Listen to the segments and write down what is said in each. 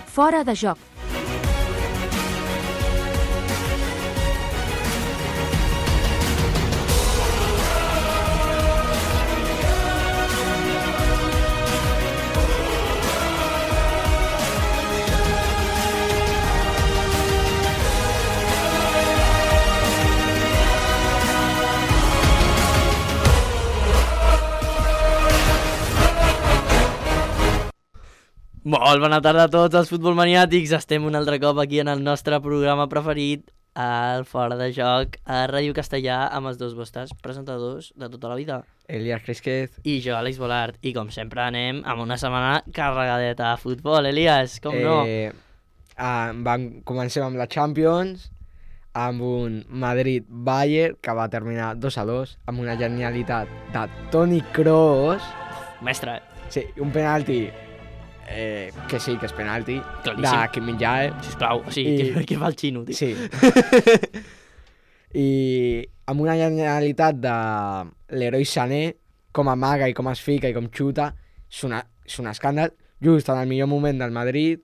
Fora de joc. Molt bona tarda a tots els futbolmaniàtics. Estem un altre cop aquí en el nostre programa preferit, el Fora de Joc, a Ràdio Castellà, amb els dos vostres presentadors de tota la vida. Elias Cresquez. I jo, Àlex Bolart. I com sempre anem amb una setmana carregadeta de futbol, Elias, com no? Comencem amb la Champions, amb un Madrid-Bayern que va terminar 2-2, amb una genialitat de Toni Kroos. Mestre, Sí, un penalti que sí, que és penalti, claríssim. de Kim Min-jae. Sisplau, o sigui, I- què fa el xino, tio? Sí. I amb una genialitat de l'heroi Sané, com amaga i com es fica i com xuta, és un escàndal, just en el millor moment del Madrid,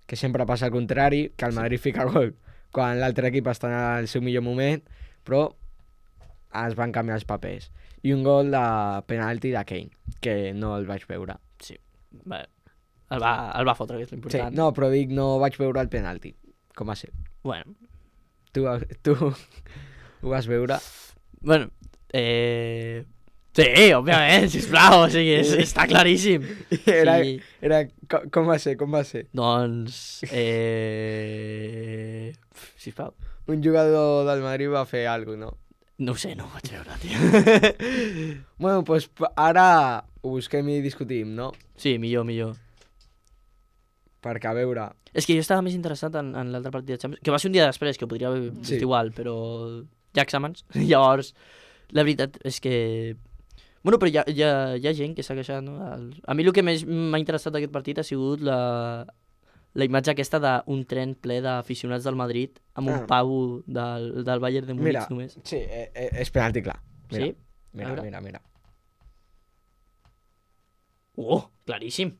que sempre passa al contrari, que el Madrid fica gol quan l'altre equip està en el seu millor moment, però es van canviar els papers. I un gol de penalti de Kane, que no el vaig veure. Sí, bé, el va fotre, que és Sí, l'important. no, però dic, no vaig veure el penalti, com va ser. Bueno, Tu ho vas veure? bueno, sí, òbviament, sisplau, o sigui, està claríssim. Era, Sí. com va ser? Doncs, sisplau. Un jugador del Madrid va fer alguna cosa, no? No ho sé, no ho vaig veure, tio. Bueno, doncs ara ho busquem i discutim, no? Sí, millor. Perquè, a veure... És que jo estava més interessat en l'altre partit de Champions, que va ser un dia després, que podria haver vist Sí. igual, però hi ha exàmens. Llavors, la veritat és que... Bueno, però hi ha gent que s'ha queixat, no? A mi el que més m'ha interessat d'aquest partit ha sigut la imatge aquesta d'un tren ple d'aficionats del Madrid amb un pavo del Bayern de Múnich Mira, només. sí, és penalti clar. Mira, Sí? A veure. mira. Claríssim.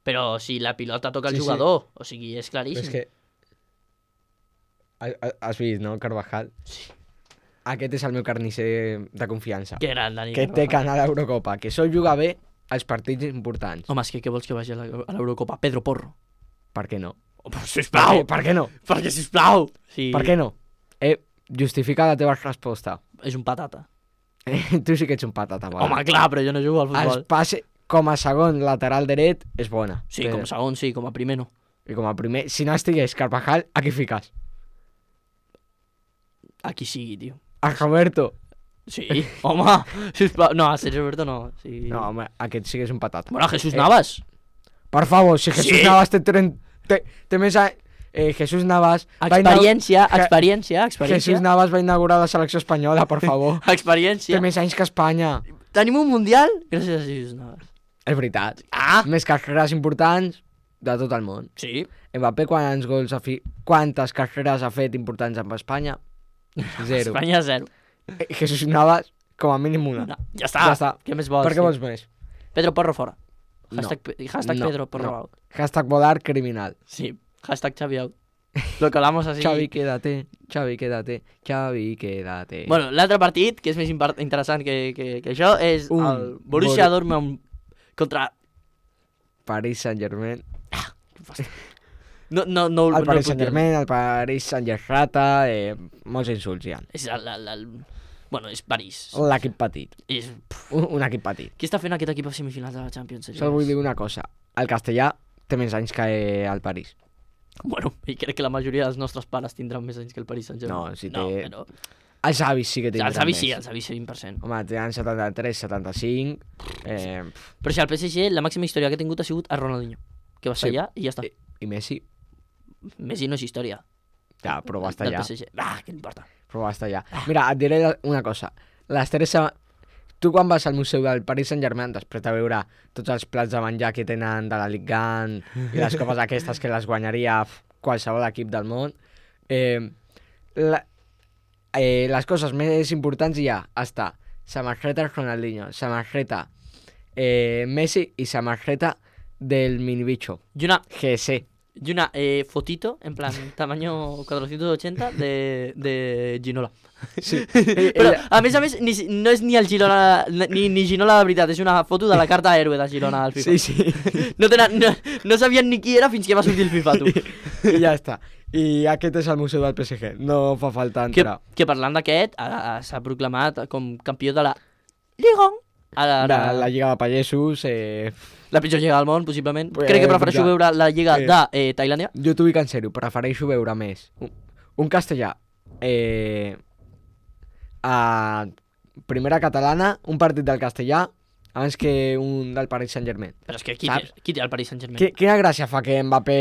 Però si la pilota toca el Sí, sí. jugador, o sigui, és Però claríssim. és que... Has vist, no, Carvajal? Sí. Aquest és el meu carnisser de confiança. Que gran, Dani Que té Carvajal. que anar a l'Eurocopa, que sol jugar bé als partits importants. Home, és que què vols que vagi a l'Eurocopa? Pedro Porro. Per què no? Oh, però, sisplau! Per què no? Perquè, sisplau! Sí. Per què no? Justifica la teva resposta. És un patata. Tu sí que ets un patata, va. Home, clar, però jo no jugo al Els futbol. passe com a segon lateral dret és bona. Sí, com a segon, sí, com a primer no. I com a primer, si no estigués Carvajal, a qui fiques? A qui sigui, tio. A Roberto. Sí, home, sisplau. No, a Sergio Roberto no. Sí. No, home, aquest sí que és un patata. Bueno, a Jesús Navas. Per favor, si Jesús Sí. Navas té més anys... Jesús Navas... Experiència. Jesús Navas va inaugurar la selecció espanyola, per favor. Té Experiència. més anys que Espanya. Tenim un mundial gràcies a Jesús Navas. És veritat. Ah! Més carreres importants de tot el món. Sí. Mbappé quantes carreres ha fet importants amb Espanya? Zero. Espanya 0. Jesús Navas, com a mínim una. No, ja està. Ja està. Què més vols? Per què tio? vols més? Pedro Porro fora. No. Hashtag No, Pedro Porro no. out. Hashtag volar criminal. Sí. Hashtag Xavi out. Lo colamos así. Xavi, quédate. Xavi, quédate. Bueno, l'altre partit, que és més interessant que això, és Un el Borussia Dortmund contra... Paris Saint-Germain. No, El Paris puc dir. Saint-Germain, el Paris Saint-Gerrata, molts insults hi ha. És bueno, és París. L'equip petit. És... Un equip petit. Qui està fent aquest equip a semifinals de la Champions? Sol vull dir una cosa. El castellà té més anys que el París. Bueno, i crec que la majoria dels nostres pares tindran més anys que el Paris Saint-Germain. No, si No, té- però... Els avis sí que tindran Els avis més. sí, els avis sí, 20%. Home, tenen 73, 75... Però si al PSG la màxima història que ha tingut ha sigut a Ronaldinho, que va estar Sí. allà i ja està. I Messi, Messi no és història. ja, però va estar del allà. PSG. Què importa? Però va estar allà. Mira, et diré una cosa. Les 3 Tu quan vas al museu del Paris Saint-Germain, després de veure tots els plats de menjar que tenen de la Ligue 1 i les copes aquestes que les guanyaria qualsevol equip del món, les coses més importants hi ha hasta samarreta Ronaldinho, samarreta Messi y samarreta del mini bicho. Y una, GS. y una fotito, en plan, tamaño 480 de Ginola. Sí. Però, a més, no és ni el Girona, ni Ginola de veritat, és una foto de la carta héroe de Girona al FIFA. Sí, sí. No sabien ni qui era fins que va sortir el FIFA, tu. I ja està. I aquest és el museu del PSG. No fa falta entrar. Que parlant d'aquest, s'ha proclamat com campió de la Liga. La Lliga de Pallesos... La pitjor lliga del món, possiblement. Pues, Crec que prefereixo clar. veure la lliga de Tailàndia. Jo t'ho dic en sèrio, prefereixo veure més un castellà a primera catalana, un partit del castellà, abans que un del Paris Saint-Germain. Però és que qui Saps? té el Paris Saint-Germain? Quina gràcia fa que Mbappé...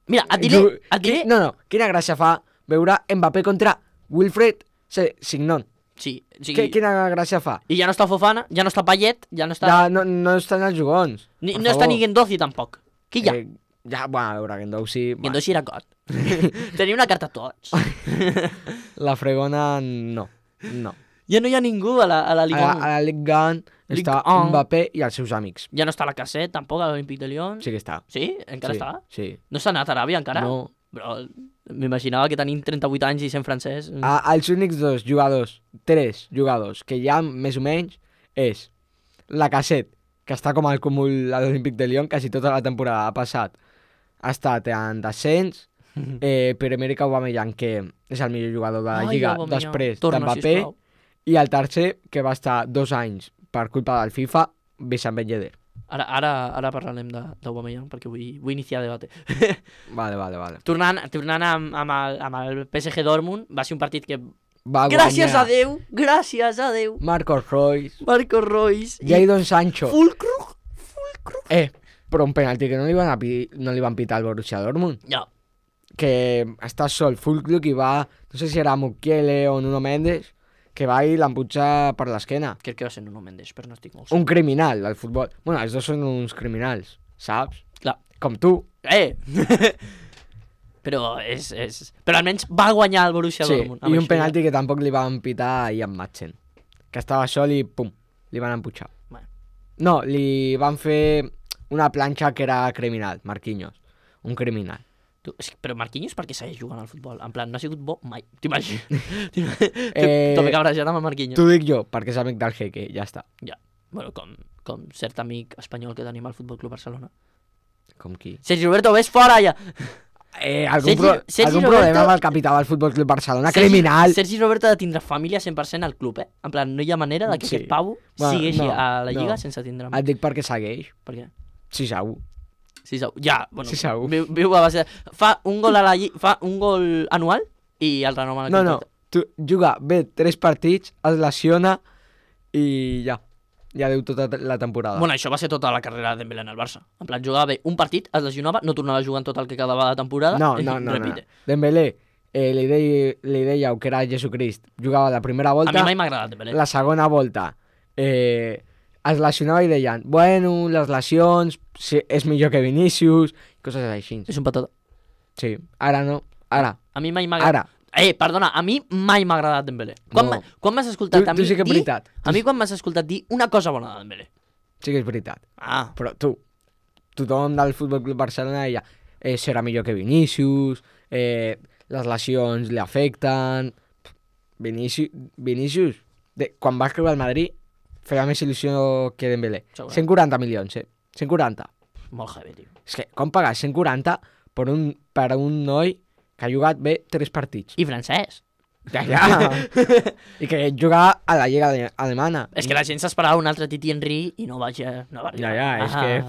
Mira, et diré... No, quina gràcia fa veure Mbappé contra Wilfred Signon. Sí, Quina gràcia fa? I ja no està Fofana, ja no està Payet, ja no està... Ja no estan els jugons. No està ni Guendouzi tampoc. Qui hi ha? Ja, bueno, a veure, Guendouzi... Guendouzi era got. Tenia una carta a tots. La fregona, no. Ja no hi ha ningú a la Liga 1. A la Ligue 1 està Ligue 1. Mbappé i els seus amics. Ja no està la Cassette, tampoc, a l'Olímpic de Lyon. Sí que està. Sí? Encara Sí, està? sí. No s'ha anat a Aràbia encara? No. Però m'imaginava que tenint 38 anys i sent francès... Els únics tres jugadors que hi ha més o menys és la Cassette, que està com al cúmul a l'Olímpic de Lyon, quasi tota la temporada ha passat. Ha estat en descens, Pierre-Emerick Aubameyang, que és el millor jugador de la Lliga, després d'Mbappé, i el tercer, que va estar 2 anys per culpa del FIFA, Wissam Ben Yedder. Ara parlarem d'Aubameyang perquè vull iniciar debat. Vale. Tornant amb el PSG Dortmund, va ser un partit que... Va Gràcies guanyar a Déu! Marcos Royce, i Jadon Sancho. Fulkrug. Però un penalti que no li van pitar al Borussia Dortmund. Ja. Que està sol Fulkrug i va, no sé si era Mukiele o Nuno Mendes, que va i l'emputja per l'esquena. Crec que va ser Nuno Mendes, però no estic molt Un criminal del futbol. Bueno, els dos són uns criminals, saps? Clar. Com tu. Però però almenys va guanyar el Borussia Sí, Dortmund. i un penalti que tampoc li van pitar a Ian Madsen, que estava sol i pum, li van emputxar. Bueno. No, li van fer una planxa que era criminal, Marquinhos. Un criminal. Però Marquinhos per què segueix jugant al futbol? En plan, no ha sigut bo mai. T'imagines? Tope cabrejat amb el Marquinhos. T'ho dic jo, perquè és amic del Jeque, ja està. Ja. Bueno, com cert amic espanyol que tenim al Futbol Club Barcelona. Com qui? Sergi Roberto, ves fora ja! Algun problema amb el capità del Futbol Club Barcelona, criminal. Sergi Roberto ha de tindre família 100% al club, En plan, no hi ha manera de que aquest pavo segueixi a la Lliga sense tindre... Et dic perquè segueix. Per què? 6-1. 6-1. Ja, bueno. 6-1. Viu a base... Fa un gol fa un gol anual i el renova el contracte. Tu juga bé 3 partits, es lesiona i ja deu tota la temporada. Bueno, això va ser tota la carrera de Dembélé en el Barça. En plan, jugava bé un partit, es lesionava, no tornava a jugar en tot el que quedava de temporada. No. Repite. Dembélé, li dèieu que era Jesucrist. Jugava la primera volta. A mi mai m'ha agradat Dembélé. La segona volta es lesionava i deien, bueno, les lesions, és millor que Vinícius, coses així. És un patata. Sí, ara no, ara. A mi mai m'ha agradat. Perdona, a mi mai m'ha agradat Dembélé. Quan m'has escoltat a mi tu sí que és veritat. A mi quan m'has escoltat dir una cosa bona de Dembélé? Sí que és veritat. Però tothom del Futbol Club Barcelona deia serà millor que Vinícius, les lesions li afecten... Vinícius, quan va escriure al Madrid, feia més il·lusió que Dembélé. 140 milions, 140. Molt heavy, tio. És que com pagar 140 per un noi que ha jugat bé 3 partits? I francès. Ja. I que juga a la Lliga alemana. És que la gent s'esperava un altre Titi Henry i no va arribar. Ja, és que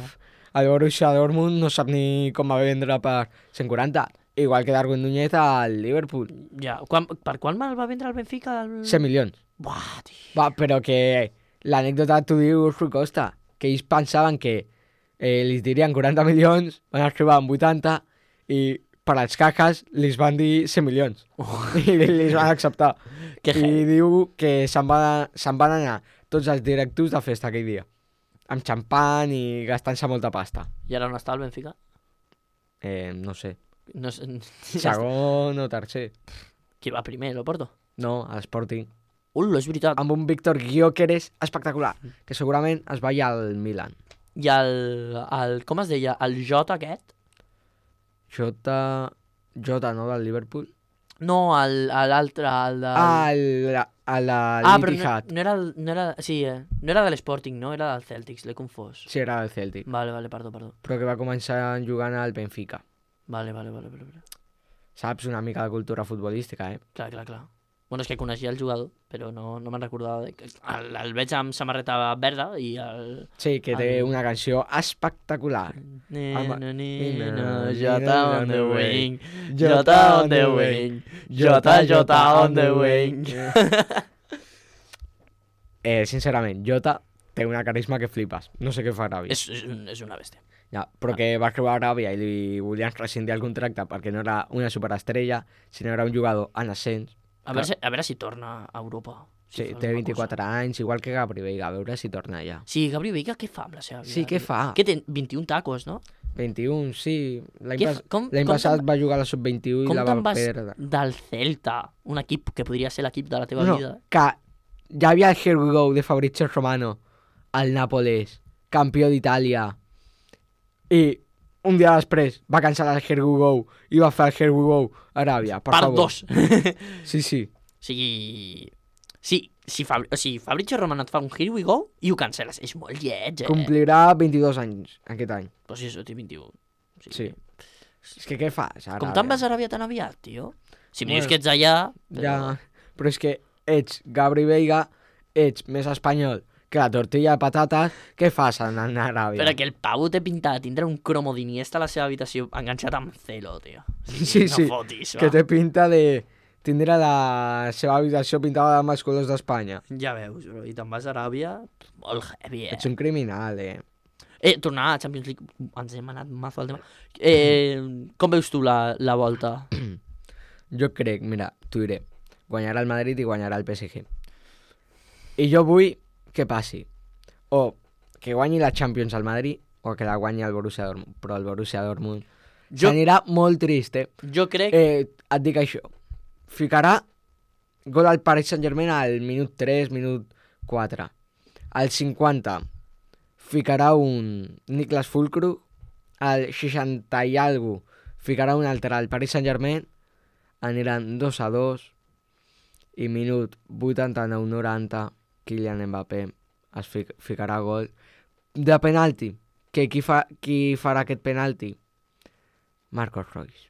el Borussia Dortmund no sap ni com va vendre per 140. Igual que Darwin Núñez al Liverpool. Ja, per quant mal va vendre el Benfica? 100 milions. Buah, tio. Va, però que l'anècdota t'ho diu Rui Costa, que ells pensaven que li dirien 40 milions, van escriure amb 80 i per als caques li van dir 100 milions. I li van acceptar. I diu que se'n van anar tots els directius de festa aquell dia. Amb xampan i gastant-se molta pasta. I ara on està el Benfica? No sé. No sé. Segon o tercer. Qui va primer, l'Oporto? No, a l'Sporting. És veritat. Amb un Víctor Gyökeres espectacular, que segurament es va al Milan. I com es deia? El Jota aquest? Jota, no, del Liverpool? No, l'altre, el de... Però no era... Sí, no era de l'Sporting, no? Era del Celtics, l'he confós. Sí, era del Celtic. Vale, perdó. Però que va començar jugant al Benfica. Vale. Saps una mica de cultura futbolística, Clar. Bueno, és que coneixia el jugador, però no me'n recordava. El veig amb samarreta verda i el... Sí, que té una canció espectacular. Nena, Jota on the wing, Jota on the wing, Jota on the wing. Sincerament, Jota té una carisma que flipes. No sé què fa Aràbia. És una bèstia. Ja, però que va creuar Aràbia i li volien rescindir el contracte perquè no era una superestrella, sinó era un jugador en ascens. A veure si torna a Europa. Sí, té 24 anys, igual que Gabri Veiga, a veure si torna allà. Sí, Gabri Veiga què fa amb la seva vida? Sí, què fa? Què té? 21 tacos, no? 21, sí. Com L'any passat va jugar a la sub-21 i la va perdre. Del Celta, un equip que podria ser l'equip de la teva vida. Que ja havia el Here We Go de Fabrizio Romano al Nàpoles, campió d'Itàlia, i un dia després va cancel·lar el Here We Go i va fer el Here We Go a Aràbia, per favor. 2. Sí. O sigui, si Fabrizio Romano et fa un Here We Go i ho cancel·les, és molt lleig, Complirà 22 anys aquest any. Però si això té 21. Sí. És que què fas, Aràbia? Com te'n vas a Aràbia tan aviat, tio? Si em dius que ets allà... Ja, però és que ets Gabri Veiga, ets més espanyol que la tortilla de patates, què fas anant a Aràbia? Però que el Pau té pintat de tindre un cromo d'Iniesta a la seva habitació enganxat amb celo, tio. Sí, no fotis, que té pinta de tindre la seva habitació pintada amb els colors d'Espanya. Ja veus, bro, i te'n vas a Aràbia, molt heavy, Ets un criminal, tornar a Champions League, ens hem anat mazo al tema. Com veus tu la volta? Jo crec, mira, t'ho diré, guanyarà el Madrid i guanyarà el PSG. I jo vull que passi o que guanyi la Champions al Madrid o que la guanyi el Borussia Dortmund, però el Borussia Dortmund s'anirà molt trist, Jo crec... et dic això, ficarà gol al Paris Saint-Germain al minut 3, minut 4. Al 50 ficarà un Niklas Füllkrug, al 60 i algo ficarà un altre al Paris Saint-Germain, aniran 2-2 i minut 89-90 Kylian Mbappé es ficarà gol de penalti. Qui farà aquest penalti? Marcos Royce.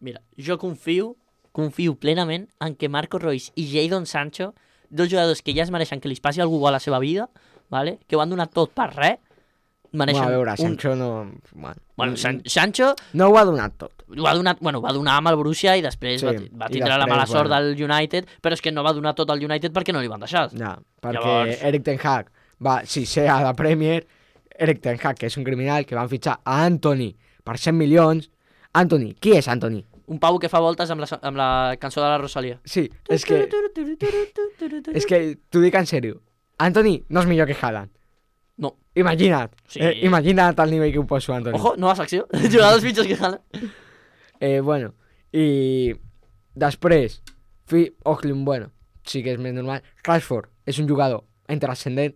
Mira, jo confio plenament en que Marcos Royce i Jadon Sancho, dos jugadors que ja es mereixen que li passi algú a la seva vida, vale? Que ho han donat tot per res, mereixen... A veure, Sancho no... Bueno, Sancho... No ho ha donat tot. Va donar amb el Borussia i després va tindre la mala sort del United, però és que no va donar tot al United perquè no li van deixar. Ja, perquè Erik ten Hag va, ser a la Premier, Erik ten Hag, que és un criminal, que van fitxar a Antony per 100 milions. Antony, qui és Antony? Un pavo que fa voltes amb la cançó de la Rosalia. Sí, és que t'ho dic en sèrio. Antony no és millor que Haaland. No. Imagina't. Sí. Imagina't el nivell que ho poso, Antony. Ojo, nova secció. Jugadors pitjors que Haaland. Bueno, i després, bueno, sí que és més normal. Rashford és un jugador intrascendent.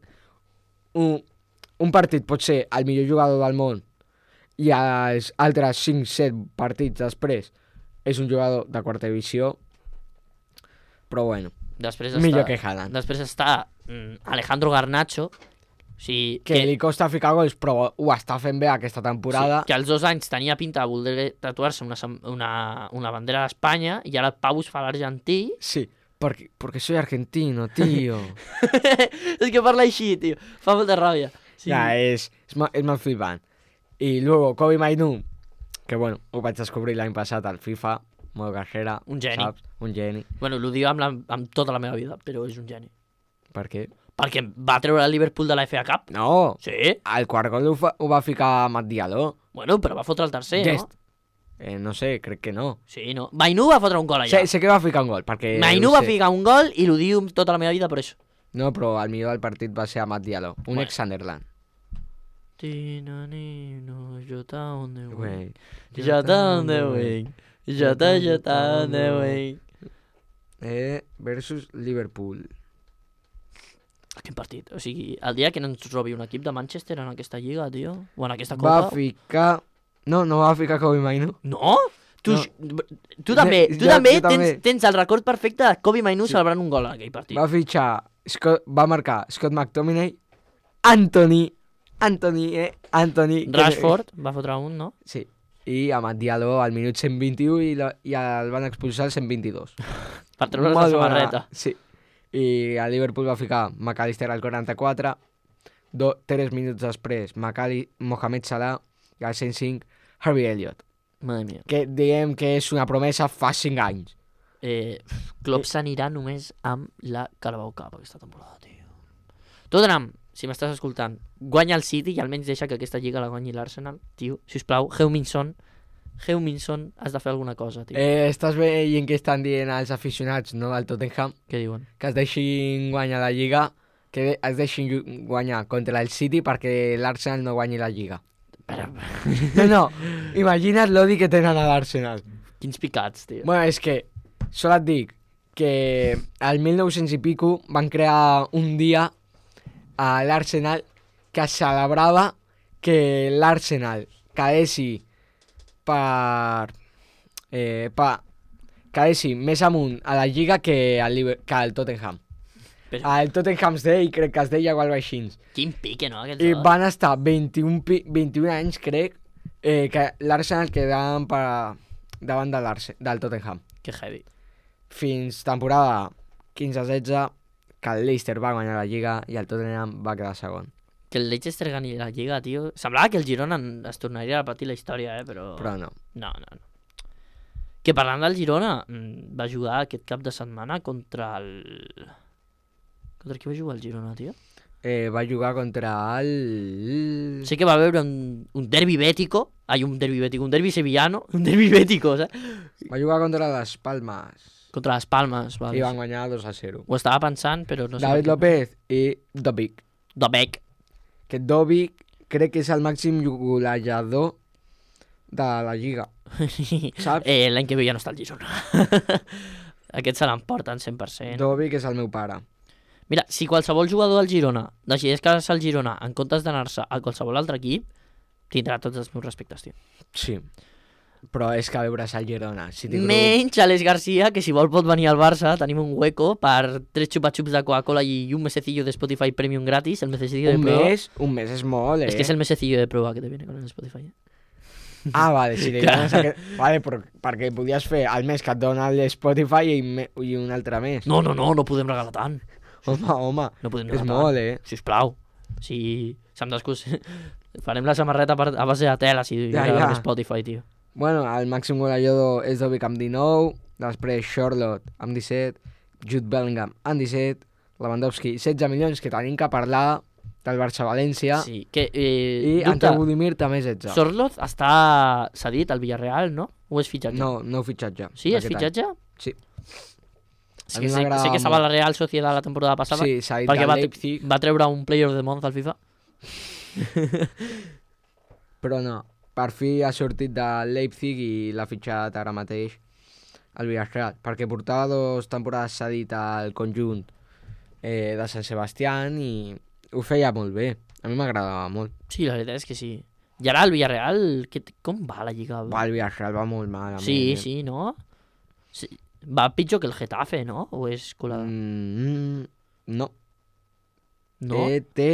Un partit pot ser el millor jugador del món i els altres 5-7 partits després és un jugador de quarta divisió, però bueno, millor que Haaland. Després està Alejandro Garnacho, que li costa ficar gols, però ho està fent bé aquesta temporada. Sí, que als 2 anys tenia pinta de voler tatuar-se una bandera d'Espanya i ara el Pau es fa l'argentí. Sí, porque soy argentino, tío. És que parla així, tio. Fa molta ràbia. Sí. Ja, és molt flipant. I luego Kobe Mainu, que bueno, ho vaig descobrir l'any passat al FIFA, modo carrera. Un geni. Saps? Un geni. Bueno, l'ho diu amb tota la meva vida, però és un geni. Per què? Perquè va treure el Liverpool de la FA Cup. No. Sí. El quart gol ho va ficar Mat Diallo. Bueno, però va fotre el tercer, Gest. no? No sé, crec que no. Sí, no. Mainu va fotre un gol allà. Sé que va ficar un gol, perquè... Mainu va ficar un gol i l'ho diu tota la meva vida per això. No, però el millor del partit va ser Mat Diallo, un ex-Sunderland. Jota on the wing. Jota on the wing. Jota on the wing. versus Liverpool. Quin partit? O sigui, el dia que no ens robi un equip de Manchester en aquesta lliga, tio, o en aquesta Va copa... ficar... No va ficar Kobe Mainu. No? Tu, No. tu també, Jo també. tens el record perfecte de Kobe Mainu celebrant un gol en aquell partit. Va fitxar... va marcar Scott McTominay, Anthony... Rashford va fotre un, no? Sí. I Amad Diallo al minut 121 i el van expulsar al 122. Per treure's la samarreta. Sí. I a Liverpool va ficar McAllister al 44, 3 minuts després Mohamed Salah i al 105 Harvey Elliott, Madre mia. que diem que és una promesa fa 5 anys. Klopp s'anirà només amb la Carabao Cup aquesta temporada, tio. Tottenham, si m'estàs escoltant, guanya el City i almenys deixa que aquesta lliga la guanyi l'Arsenal, tio. Sisplau, Heung-min Son, has de fer alguna cosa, tio. Estàs veient que estan dient als aficionats, no, del Tottenham, Què diuen? que es deixin guanyar la Lliga, que es deixin guanyar contra el City perquè l'Arsenal no guanyi la Lliga. Però... No, imagina't l'odi que tenen a l'Arsenal. Quins picats, tio. Bueno, és que, sol et dic, que al 1900 i pico van crear un dia a l'Arsenal que es celebrava que l'Arsenal quedessi quedessi més amunt a la Lliga que el Tottenham. Però... El Tottenham's Day crec que es deia o alguna cosa així. Quin pique, no? Aquests I dos. van estar 21 anys, crec, que l'Arsenal quedaven davant del Tottenham. Que heavy. Fins temporada 15-16, que el Leicester va guanyar la Lliga i el Tottenham va quedar segon. Que el Leicester gani la Lliga, tio. Semblava que el Girona es tornaria a repetir la història, però... Però no. No. Que parlant del Girona, va jugar aquest cap de setmana contra el... Contra qui va jugar el Girona, tio? Va jugar contra el... Sé que va veure un derbi bético, un derbi sevillano, un derbi bético, saps? Va jugar contra les Palmes. Contra les Palmes, vale. I van guanyar 2-0. Ho estava pensant, però no sé... David López i Dobic. Dobec. Que Dobic crec que és el màxim golejador de la Lliga. Saps? L'any que ve ja no està el Girona. Aquest se l'emporten 100%. Dobic és el meu pare. Mira, si qualsevol jugador del Girona decideix quedar-se al Girona en comptes d'anar-se a qualsevol altre equip, tindrà tots els meus respectes, tio. Sí. Però és que a veure el Girona. Menys Alex García, que si vol pot venir al Barça, tenim un hueco per 3 xupa-xups de Coca-Cola i un mesecillo de Spotify Premium gratis, el mesecillo de prueba. Un mes és molt, Es que es el mesecillo de prueba que te viene con el Spotify. Ah, vale, si li dones aquest... Vale, però perquè podies fer el mes que et dona el Spotify i un altre mes. No podem regalar tant. Home, No podem és regalar molt, tant. Sisplau. Si se'm descús... Farem la samarreta a base de tela si regalem Spotify, tio. Bueno, el màxim golejador és Dobic amb 19, després Charlotte amb 17, Jude Bellingham amb 17, Lewandowski 16 milions, que tenim que parlar del Barça-València, Sí, que... i Ante Budimir també 16. Sorloz està cedit al Villarreal, no? O és fitxatge? No fitxatge. Sí, és fitxatge? Sí. Sí que sé que estava a la Real Sociedad la temporada passada, Sí, s'ha dit perquè del Leipzig, va treure un Player of the Month al FIFA. però no. Per fi ha sortit del Leipzig i l'ha fitxat ara mateix al Villarreal, perquè portava 2 temporades cedit al conjunt de Sant Sebastián i ho feia molt bé. A mi m'agradava molt. Sí, la veritat és que sí. I ara el Villarreal, com va la Lliga? Va, el Villarreal va molt malament. Sí, no? Sí. Va pitjor que el Getafe, no? O és colada? No. No? Té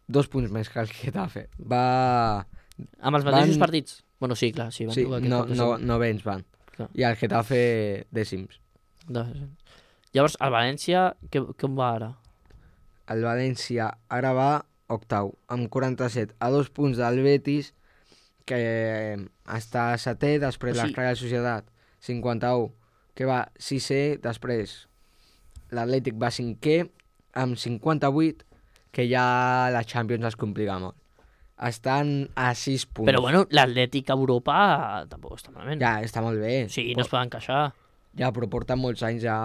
2 punts més que el Getafe. Va... Amb els mateixos partits? Bueno, sí, clar, sí. Van Sí, jugar aquest cap de setmana. novens van. Clar. I el Getafe dècims. Llavors, el València, com va ara? El València ara va octau, amb 47, a 2 punts del Betis, que està setè, després la Real Societat 51, que va 6è, després l'Atlètic va 5è, amb 58, que ja la Champions es complica molt. Estan a 6 punts. Però bueno, l'Atlètic a Europa tampoc està malament. Ja, està molt bé. Sí, no es poden queixar. Ja, però porten molts anys ja,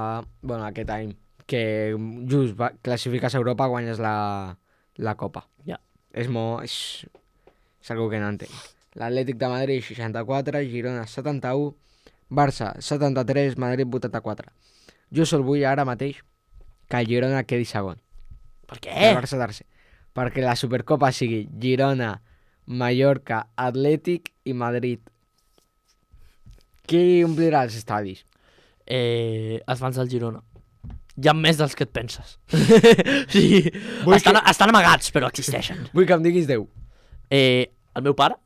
bueno, aquest any, que just classifiques a Europa, guanyes la Copa. Ja. És algo que no entenc. L'Atlètic de Madrid, 64, Girona, 71, Barça, 73, Madrid, 84. Jo sol vull ara mateix que el Girona quedi segon. Per El què? Barça tercer. Perquè la Supercopa sigui Girona, Mallorca, Atlètic i Madrid. Qui omplirà els estadis? Els fans del Girona. Hi ha més dels que et penses. Sí, Vull estan amagats, però existeixen. Vull que em diguis 10. El meu pare?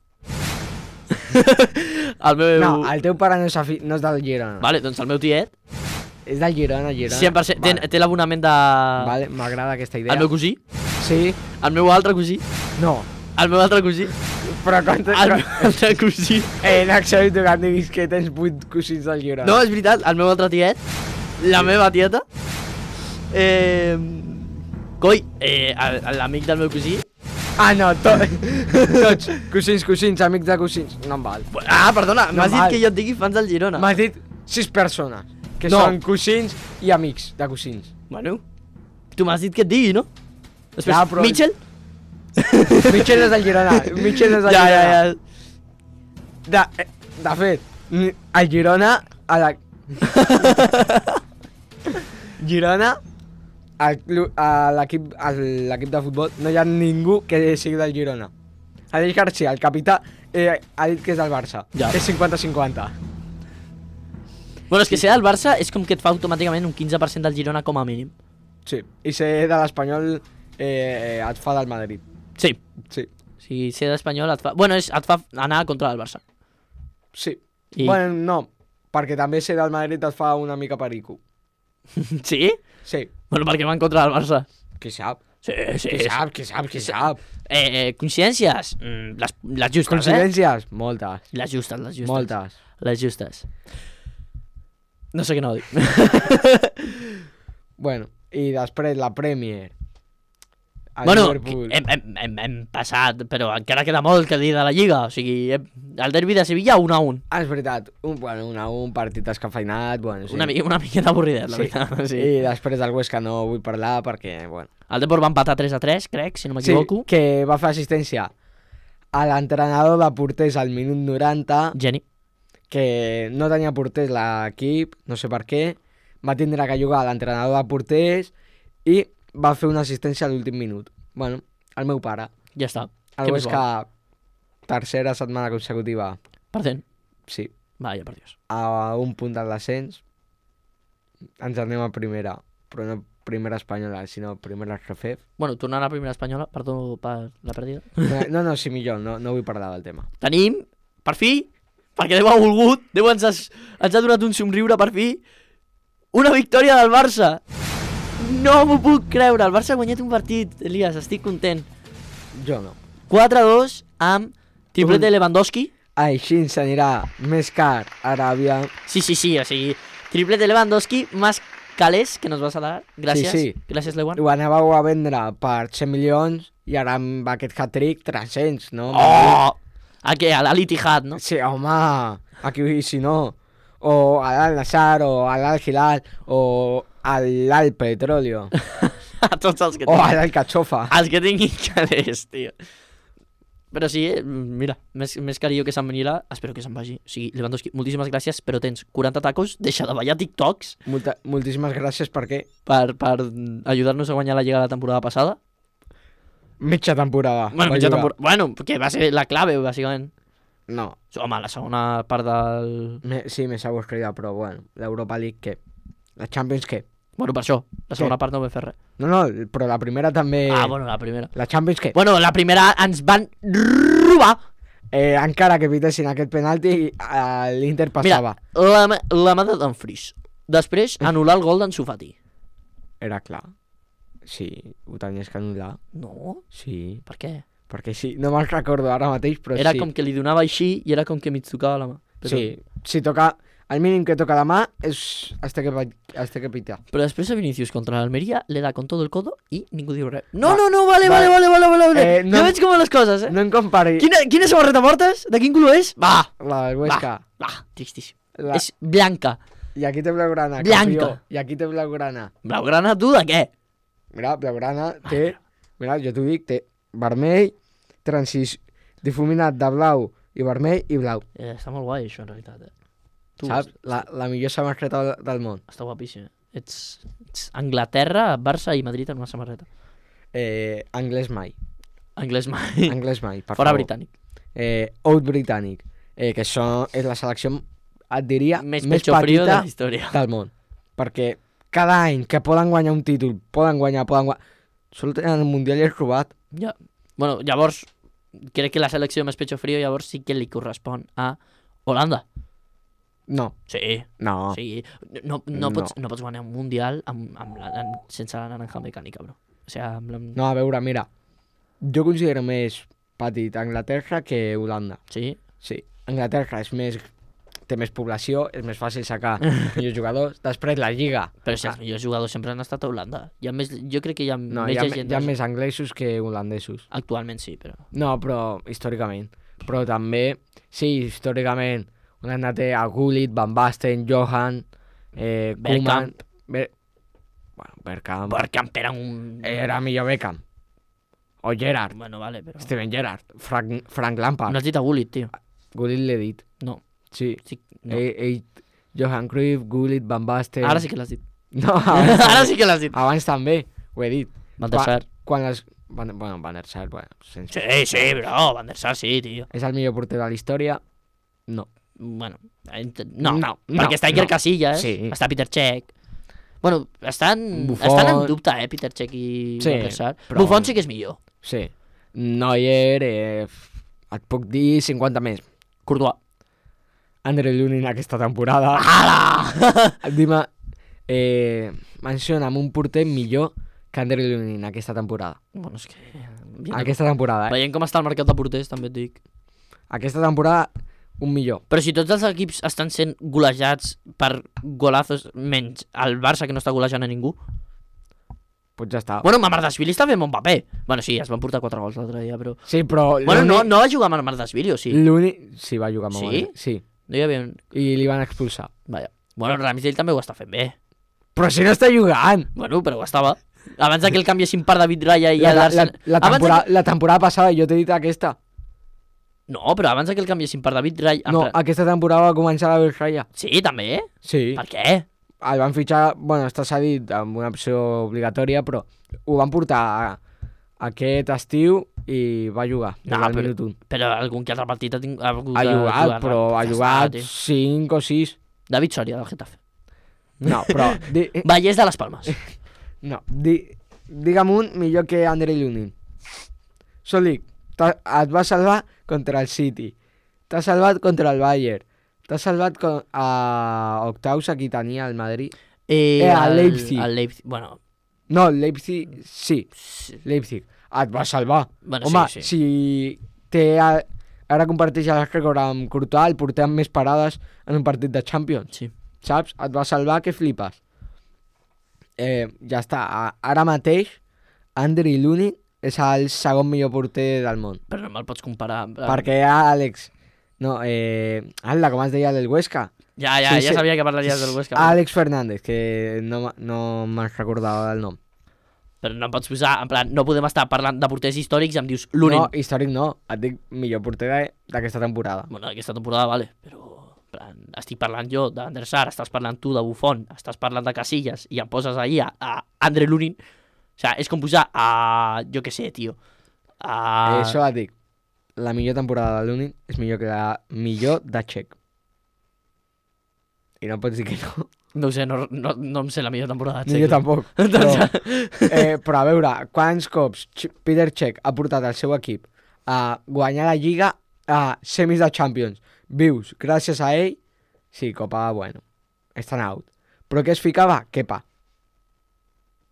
El meu... No, el teu pare no és del Girona. Vale, doncs el meu tiet, És del Girona. 100%, Vale. té l'abonament de... Vale, m'agrada aquesta idea. El meu cosí, Sí? el meu altre cosí, No. el meu altre cosí, Però quan... el meu altre cosí... N'accepto que em diguis que tens 8 cosins del Girona. No, és veritat, el meu altre tiet, la meva tieta, coi, l'amic del meu cosí... Ah, no, tots. Cosins, amics de cosins. No em val. Ah, perdona, No m'has dit val. que jo et digui fans del Girona. M'has dit 6 persones, que No. són cosins i amics de cosins. Bueno, tu m'has dit que et digui, no? Després, Ja, però- Mitchell? Mitchell és del Girona. Mitchell és del Girona. Ja. De fet, el Girona... A la... Girona, a l'equip de futbol, no hi ha ningú que sigui del Girona. Aleix García, el capità, ha dit que és del Barça. Ja. És 50-50. Bueno, és que ser del Barça és com que et fa automàticament un 15% del Girona com a mínim. Sí. I ser de l'Espanyol et fa del Madrid. Sí. Sí. Si ser d'Espanyol et fa... Bueno, et fa anar contra el Barça. Sí. I- Bueno, no, perquè també ser del Madrid et fa una mica perico. Sí? Sí. Bueno, perquè van contra el Barça. Qui sap? Sí, sí. Qui sap? Coincidències? Les justes, Coincidències? Moltes. Les justes. Moltes. Les justes. No sé què no dic. Bueno, i després la Premier. El Bueno, Liverpool. hem passat, però encara queda molt que dir de la Lliga. O sigui, el derbi de Sevilla 1-1. Ah, és veritat. Un partit descafeinat, bueno, sí. Una miqueta avorridet, la Sí. veritat. Sí. I després del Huesca no vull parlar perquè, bueno... El Depor va empatar 3-3, crec, si no m'equivoco. Sí, que va fer assistència a l'entrenador de porters al minut 90, Geni. que no tenia porters l'equip, no sé per què, va tindre que jugar a l'entrenador de porters i va fer una assistència a l'últim minut. Bueno, el meu pare. Ja està. El Què més Huesca, tercera setmana consecutiva, Perdent. sí, Vaya, per Dios. a un punt del descens, ens anem a primera, però no primera espanyola, sinó primera RFF. Bueno, tornant a la primera espanyola, perdó per la pèrdida. No, sí, millor, no vull parlar del tema. Tenim, per fi, perquè Déu ha volgut, Déu ens ha donat un somriure per fi, una victòria del Barça. No m'ho puc creure, el Barça ha guanyat un partit, Elias, estic content. Jo no. 4-2 amb triplet de Lewandowski. Així ens anirà més car Aràbia. Sí, o sigui, triplet de Lewandowski, más calés, que nos vas a dar. Gràcies, Sí. gràcies, Lewan. Ho anàveu a vendre per 100 milions i ara amb aquest hat-trick 300, no? Oh! A què? A l'Al-Ittihad, no? Sí, home, aquí si no. O a l'Al-Nassr, o a l'Al-Hilal, o a l'Al-Petróleo, A tots els que o a tinguin. l'Al-Cachofa. Els que tinguin calés, tio. Però sí, mira, més carillo que se'n venirà, espero que se'n vagi. O sigui, Lewandowski, moltíssimes gràcies, però tens 40 tacos, deixa de ballar TikToks Moltíssimes gràcies perquè per ajudar-nos a guanyar la Lliga la temporada passada. mitja temporada. Bueno, va mitja jugar. temporada. Bueno, que va ser la clave, bàsicament. No, Home, la segona part del... sí, més avorrida, però bueno, l'Europa League què? La Champions què? Bueno, per això, la segona part no vam fer res. No, però la primera també... Ah, bueno, la primera. La Champions què? Bueno, la primera ens van robar. Encara que evitessin aquest penalti, l'Inter passava. Mira, la mà de Dumfries. Després, anul·lar el gol d'en Sufati. Era clar. Sí, ho tenies que anul·lar. No, Sí, per què? perquè sí. No me'n recordo ara mateix, però Era sí. com que li donava així i era com que mig tocava la mà. Però, Sí, si toca... El mínim que toca la mà es té que pitar. Però després a Vinicius contra l'Almeria le da con todo el codo i ningú diu res. No, Va, vale. no- Jo veig com les coses, eh? No em compari Quina samarreta portes? De quin color és? Va, la del Huesca. tristíssim. La... És blanca. I aquí té blaugrana, Blanca. campió. I aquí té blaugrana. Blaugrana, tu, de què? Mira, blaugrana té... Mira, jo t'ho dic, té vermell, difuminat de blau i vermell i blau. Està molt guai, això, en realitat, eh? Tu, Saps? La millor samarreta del món. Està guapíssim. Ets Anglaterra, Barça i Madrid en una samarreta. Anglès mai. Anglès mai. Anglès mai, per Fora favor. britànic. Out britànic. Que això és la selecció, et diria, Més més pecho frío de petita la història. del món. Perquè cada any que poden guanyar un títol, poden guanyar... Solo tenen el Mundial i és robat. Ja. Bueno, llavors, crec que la selecció més pecho frío llavors sí que li correspon a Holanda. No, Sí. no. Sí. No pots guanyar un mundial sense la naranja mecànica, bro. O sigui, No, a veure, mira. Jo considero més petit Anglaterra que Holanda. Sí. Sí, Anglaterra té més població, és més fàcil sacar millors jugadors. Després la Lliga. Però si els millors jugadors sempre han estat a Holanda. Jo crec que hi ha No, més hi ha llegendes. més anglesos que holandesos. Actualment sí, però... No, però històricament. Però també, sí, històricament, Holanda té a Gullit, Van Basten, Johan, Koeman... Bergkamp. Bergkamp era un... Era millor Beckham. O Gerrard. Bueno, vale, però... Steven Gerrard. Frank Lampard. No has dit a Gullit, tio. Gullit l'he dit. No. Sí. Sí, no. Johan Cruyff, Gullit, Van Basten... Ara sí que l'has dit. No, Ara sí que l'has dit. abans també, ho he dit. Van der Sar. Quan les... Bueno, Van der Sar, sense... Sí, bro, Van der Sar sí, tio. És el millor porter de la història? No. Bueno, No, perquè està Iker no. Casillas, Sí. està Peter Cech. Bueno, estan Buffon. en dubte, Peter Cech i Sí, Van der Sar. però- Buffon sí que és millor. Sí. Neuer, et puc dir 50 més. Courtois. Andre Lunin aquesta temporada. Ala! Dime, menciona'm un porter millor que Andre Lunin aquesta temporada. Bueno, és que... Aquesta temporada, Veient com està el mercat de porters, també et dic. Aquesta temporada, un millor. Però si tots els equips estan sent golejats per golazos, menys el Barça, que no està golejant a ningú. Pues ja està. Bueno, Mamardashvili està fent bon paper. Bueno, sí, es van portar 4 gols l'altre dia, però... Sí, però... Bueno, no va jugar amb Mamardashvili, o sí? L'únic... Sí, va jugar amb Sí? Mamardashvili. Sí. No hi havia... I li van expulsar. Vaja. Bueno, Ramsdale també ho està fent bé. Però si no està jugant! Bueno, però ho estava. Abans que el canviessin per David Raya i La, el la, Arsenal... la, la temporada passada jo t'he dit aquesta. No, però abans que el canviessin per David Raya... No, aquesta temporada va començar la Raya. Sí, també? Sí. Per què? El van fitxar, bueno, està cedit amb una opció obligatòria, però ho van portar aquest estiu i va jugar. No, Al minut 1. Però algun que altre partit ha tingut... Ha jugat, però ha jugat 5 o 6. David Soria, del Getafe. No, però... Vallès de les Palmes. No, digue'm un millor que Andre Lunin. Sol dic, et va salvar contra el City, t'ha salvat contra el Bayern, t'ha salvat a octaus a qui tenia el Madrid. El Leipzig. El Leipzig, bueno... No, el Leipzig, sí, Leipzig. Et va salvar. Bueno, Home, sí. si té... Ara comparteix el rècord amb Courtois, el porter amb més parades en un partit de Champions. Sí. Saps? Et va salvar que flipes. Ja està. Ara mateix, Andre Lunin és el segon millor porter del món. Però no me'l pots comparar. Perquè Àlex... No, Alda, com es deia del Huesca? Ja Sí. sabia que parlaries del Huesca. Àlex Fernández, que no me'n recordava del nom. Però no em pots posar, en plan, no podem estar parlant de porters històrics i em dius Lunin. No, històric no. Et dic millor porter d'aquesta temporada. Bueno, aquesta temporada, vale, però... En plan, estic parlant jo d'Ander Sar, estàs parlant tu de Buffon, estàs parlant de Casillas i em poses ahí a Andre Lunin. O sigui, és com posar a... Jo què sé, tio. Això et dic. La millor temporada de Lunin és millor que la millor de Txec. I no pots dir que no. No ho sé, no em sé la millor temporada de Ni jo Txec. tampoc. Però a veure, quants cops Peter Cech ha portat el seu equip a guanyar la Lliga a semis de Champions vius gràcies a ell? Sí, Copa, bueno, estan out. Però què es ficava? Kepa.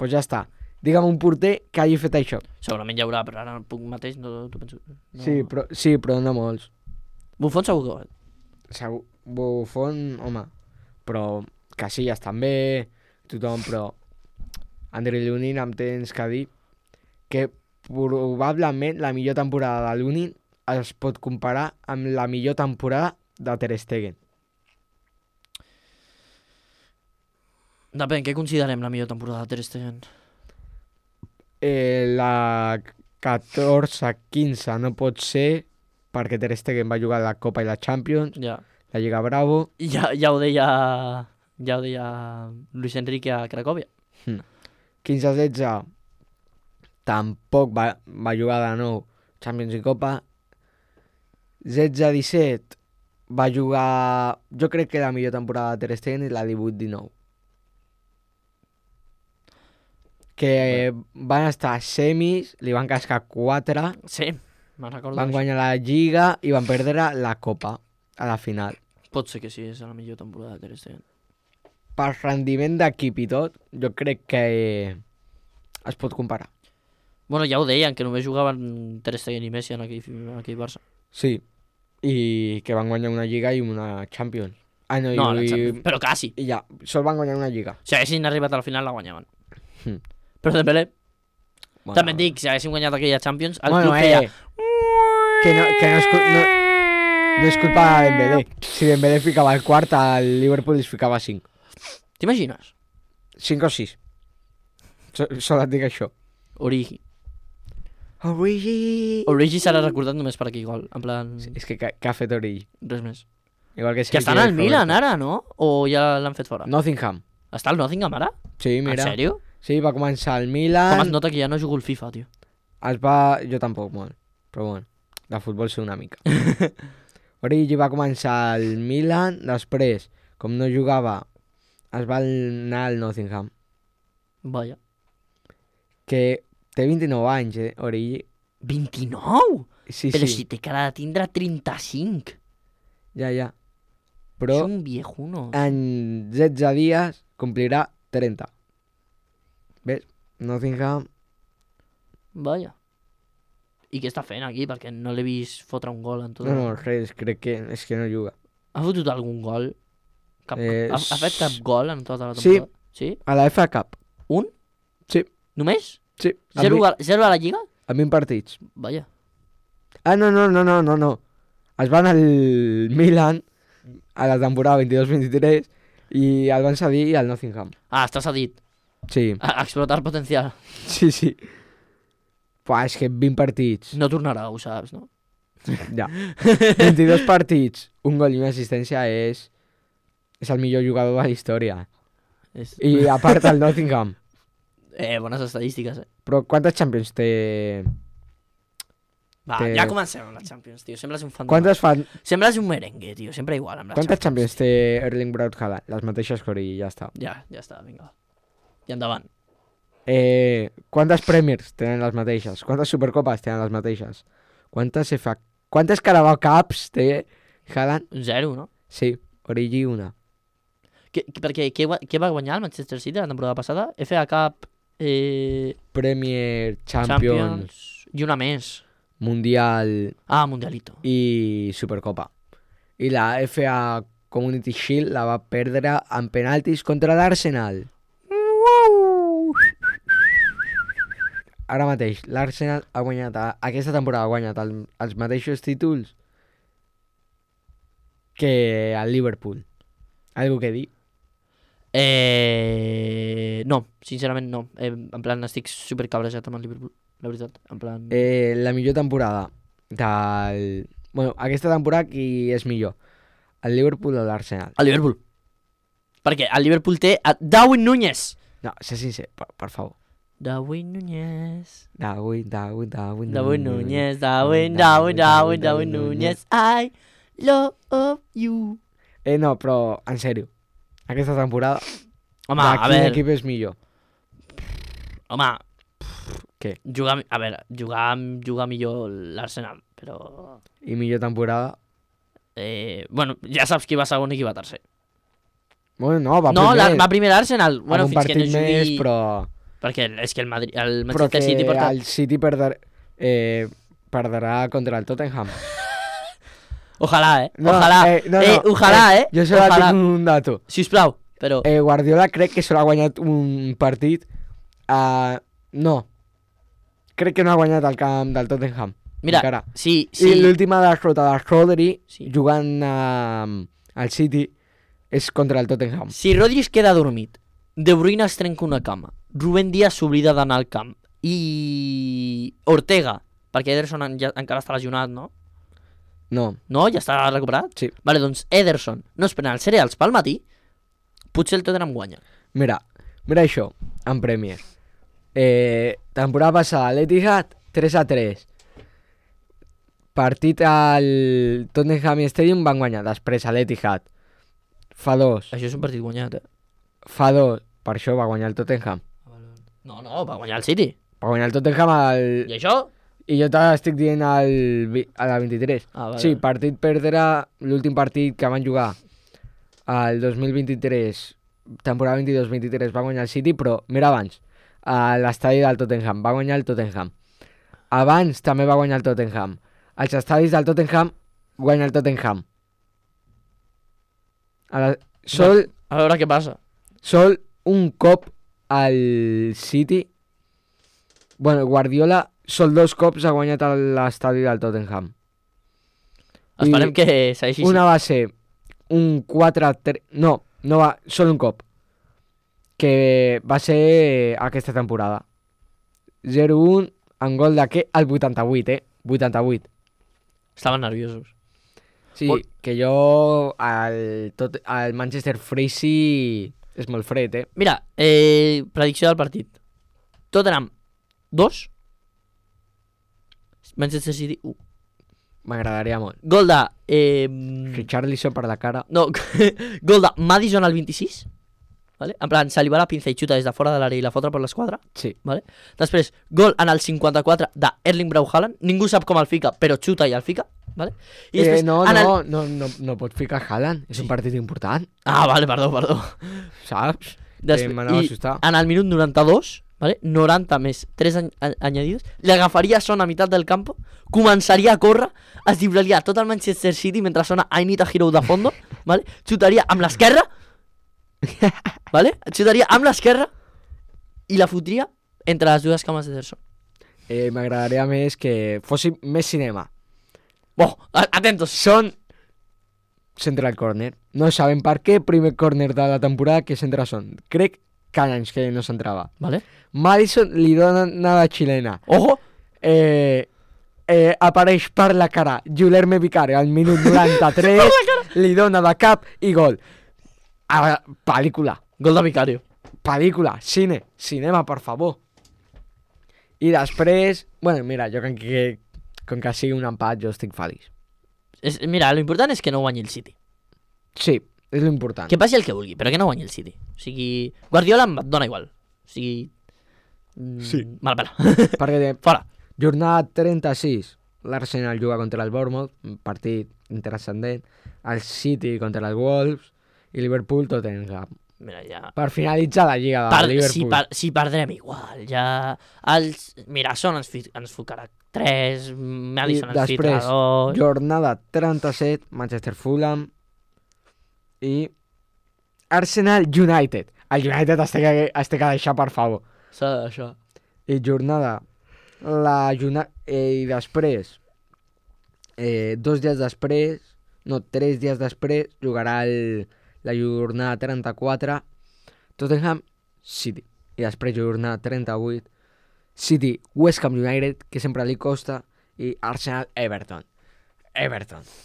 Pues ja està. Digue'm un porter que hagi fet això. Segurament hi haurà, però ara puc mateix no penso... No. Sí, però no molts. Buffon segur que ho ha. Segur, Buffon, home, però Casillas també, tothom, però Andre Lunin em tens que dir que probablement la millor temporada de Lunin es pot comparar amb la millor temporada de Ter Stegen. Depèn, què considerem la millor temporada de Ter Stegen? La 14-15 no pot ser perquè Ter Stegen va jugar la Copa i la Champions, Ja. la Lliga Bravo. Ja ho deia Ja ho deia Luis Enrique a Cracòvia. 15-16 tampoc va jugar de nou Champions i Copa. 16-17 va jugar, jo crec que la millor temporada de Ter Stegen és la 18-19. Que van estar a semis, li van cascar 4, Sí, me'n recordo. van d'això. guanyar la Lliga i van perdre la Copa a la final. Pot ser que sí, és la millor temporada de Ter Stegen. Per rendiment d'equip i tot, jo crec que es pot comparar. Bueno, ja ho deien, que només jugaven Ter Stegen i Messi en aquell Barça. Sí, i que van guanyar una Lliga i una Champions. Ah, no, No, i, però quasi. i ja, sol van guanyar una Lliga. Si haguessin arribat a la final, la guanyaven. Mm. Però Dembélé, Bueno, també et dic, si haguéssim guanyat aquella Champions, el bueno, club feia... que no és culpa de Dembélé. Si Dembélé ficava el quart, el Liverpool es ficava 5. T'imagines? 5 o 6. Sol et dic això. Origi. Origi! Origi serà recordat només per aquell gol. En plan, Sí, és que ha fet Origi. res més. Igual que Que estan al Milan ara, no? O ja l'han fet fora? Nottingham. Està al Nottingham ara? Sí, En mira. sèrio? Sí, va començar al Com es Milan. nota que ja no jugo al FIFA, tio. Jo tampoc molt, però bueno, de futbol sé una mica. Origi va començar al Milan, després, com no jugava, es va anar al Nottingham, Vaja. que té 29 anys, Origi. 29? Sí, Però sí, si té cara de tindre 35. ja. És Però un viejuno. en 16 dies complirà 30. Ves? Nottingham... Vaja. I què està fent aquí? Perquè no l'he vist fotre un gol en tot. No, res, crec que és que no juga. Ha fotut algun gol? Eh, Ha fet cap gol en tota la sí. temporada? Sí. A la FA Cup, Un? Sí. Només? sí. Zero a la Lliga? A 20 partits. Vaja. Ah, no. Es van al Milan a la temporada 22-23 i el van cedir al Nottingham. Ah, està cedit. Sí, A explotar potencial. sí. Pues és que 20 partits, No tornarà, ho saps, no? ja. 22 partits, un gol i una assistència és el millor jugador de la història. És... I a part el Nottingham. Bones estadístiques, Però quantes Champions té? Va, Que- ja comencem amb la Champions, tio. Sembles un fan Quantes, fan... Sembles un merengue, tio. Sempre igual amb la quantes Champions té Erling Braut Haaland? Les mateixes que Origi, ja està. Ja està, vinga. I endavant. Quantes Premiers tenen les mateixes? Quantes Supercopes tenen les mateixes? Quantes Carabao Cups té Haaland? 0, no? Sí, Origi una. Perquè què va guanyar el Manchester City la temporada passada? FA Cup, Premier, Champions, Champions i una més. Mundial Ah, Mundialito. i Supercopa. I la FA Community Shield la va perdre en penaltis contra l'Arsenal. Ara mateix, l'Arsenal ha guanyat, aquesta temporada ha guanyat els mateixos títols que el Liverpool. Algo que dir? No, sincerament no. En plan, estic supercabrejat amb el Liverpool, la veritat. En plan... La millor temporada del... Bueno, aquesta temporada qui és millor? El Liverpool o l'Arsenal? El Liverpool. Perquè el Liverpool té a Darwin Núñez. No, sé sincer, per favor. Darwin Núñez. Darwin Darwin Núñez. Darwin Núñez. I love you. No, però en sèrio, aquesta temporada Home, de a quin veure... equip és millor? Home... Què? Jugar millor l'Arsenal, però... I millor temporada? Bueno, ja saps qui va segon i qui va tercer. Bueno, no, va No, primer. va primer l'Arsenal. Bueno, amb un fins que no partit jugui... més, però... Perquè és que el Però que Manchester City porta... el City perdrà contra el Tottenham. Ojalà, No, ojalà. Ojalà, Jo solo Ojalà. tinc un dato. Sisplau, però... Guardiola crec que solo ha guanyat un partit. No. Crec que no ha guanyat el camp del Tottenham. Mira, encara. sí. I l'última derrota de Rodri Sí. jugant al City és contra el Tottenham. Si Rodri es queda dormit, De Bruyne es trenca una cama, Rubén Díaz s'oblida d'anar al camp i Ortega, perquè Ederson encara està lesionat, no? No, No? Ja està recuperat? Sí. Vale, doncs Ederson no es pren els cereals pel matí, potser el Tottenham guanya. Mira això, en Premier. Temporada passada, l'Etihad 3-3. Partit al Tottenham Stadium van guanyar. Després a l'Etihad fa 2. Això és un partit guanyat, Fa 2. Per això va guanyar el Tottenham. No, va guanyar el City. Va guanyar el Tottenham I això? I jo t'estic dient a la 23. Vale. Sí, partit perdre l'últim partit que van jugar al 2023, temporada 22-23 va guanyar el City, però mira abans, a l'estadi del Tottenham, va guanyar el Tottenham. Abans també va guanyar el Tottenham. Als estadis del Tottenham guanya el Tottenham. A veure què passa. Sol un cop al City. Bueno, Guardiola sol 2 cops ha guanyat a l'estadi del Tottenham. Esperem que segueixi així. Una va ser un 4-3... No va, sol un cop. Que va ser aquesta temporada. 0-1 en gol de què? Al 88, 88. Estaven nerviosos. Sí, que jo al Manchester Freezy és molt fred, Mira, predicció del partit. Tottenham 2, Manchester City 1. M'agradaria molt. Gol de... Richarlison per la cara. No, gol de Madison al 26. ¿Vale? En plan, se li va la pinza i xuta des de fora de l'àrea i la fotra per l'esquadra. Sí. ¿Vale? Després, gol en el 54 de Erling Braut Haaland. Ningú sap com el fica, però xuta i el fica. ¿Vale? I després, no pots ficar Haaland. És un partit important. Ah, vale, perdó. Saps? M'anava a assustar. En el minut 92, ¿vale? 90 més 3 añadidos, li agafaria Son a meitat del campo, començaria a córrer, es dibraria tot el Manchester City mentre sona I Need a Hero de fondo, ¿vale? Xutaria amb l'esquerra, ¿vale? Xutaria amb l'esquerra i la fotria entre les dues cames de Ederson. M'agradaria més que fos més cinema. Atentos. Son central corner. No sabem per què primer corner de la temporada que centra Son. Crec que anys que no s'entrava. Vale. Madison li dona nada xilena. Ojo. Apareix per la cara Guilherme Vicario al minut 93, li dona de cap i gol. Pel·lícula. Gol de Vicario. Pel·lícula, cinema, per favor. I després, bueno, mira, jo com que sigui un empat, jo estic feliç. Mira, lo important és que no guanyi el City. Sí, és l'important. Que passi el que vulgui, però que no guanyi el City. O sigui, Guardiola em dona igual. O sigui... Sí. Mal pela. Perquè Fora. Jornada 36, l'Arsenal juga contra el Bournemouth, un partit intranscendent, el City contra els Wolves i Liverpool Tottenham. Mira, ja... Per finalitzar la lliga de Liverpool. Si perdrem igual, ja... Mira, Son ens focarà 3, Madison ens ficarà 2... Després, jornada 37, Manchester Fulham i Arsenal United. El United es té que deixar, per favor. S'ha de deixar. I jornada... I després, 2 dies després, no, 3 dies després, jugarà la jornada 34, Tottenham City. I després jornada 38, City West Ham United, que sempre li costa, i Arsenal Everton.